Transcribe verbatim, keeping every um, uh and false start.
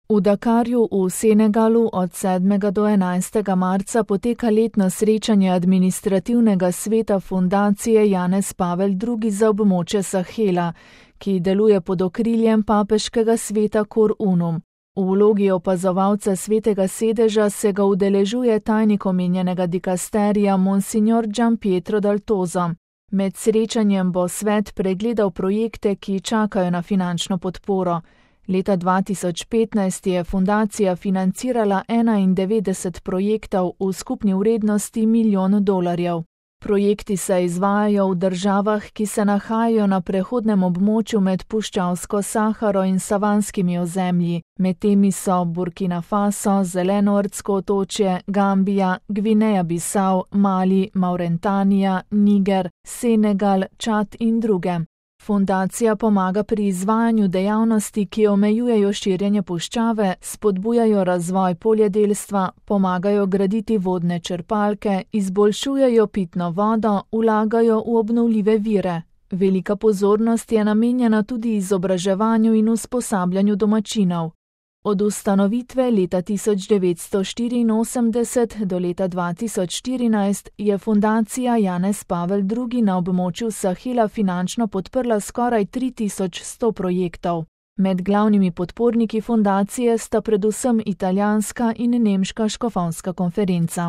V Dakarju v Senegalu od sedmega do enajstega marca poteka letno srečanje administrativnega sveta fundacije Janez Pavel drugi za območje Sahela, ki deluje pod okriljem papeškega sveta Cor Unum. V vlogi opazovalca svetega sedeža se ga udeležuje tajnik omenjenega dikasterija Monsignor Gianpietro Daltozo. Med srečanjem bo svet pregledal projekte, ki čakajo na finančno podporo. Leta dva tisoč petnajst je fundacija financirala enaindevetdeset projektov v skupni vrednosti milijon dolarjev. Projekti se izvajajo v državah, ki se nahajajo na prehodnem območju med puščavsko Saharo in savanskimi ozemlji. Med temi so Burkina Faso, Zelenoordsko otočje, Gambija, Gvineja Bisau, Mali, Mauretanija, Niger, Senegal, Čad in druge. Fundacija pomaga pri izvajanju dejavnosti, ki omejujejo širjenje puščave, spodbujajo razvoj poljedelstva, pomagajo graditi vodne črpalke, izboljšujejo pitno vodo, vlagajo v obnovljive vire. Velika pozornost je namenjena tudi izobraževanju in usposabljanju domačinov. Od ustanovitve leta tisoč devetsto štiriinosemdeset do leta dva tisoč štirinajst je fundacija Janez Pavel drugi na območju Sahela finančno podprla skoraj tri tisoč sto projektov. Med glavnimi podporniki fundacije sta predvsem italijanska in nemška škofovska konferenca.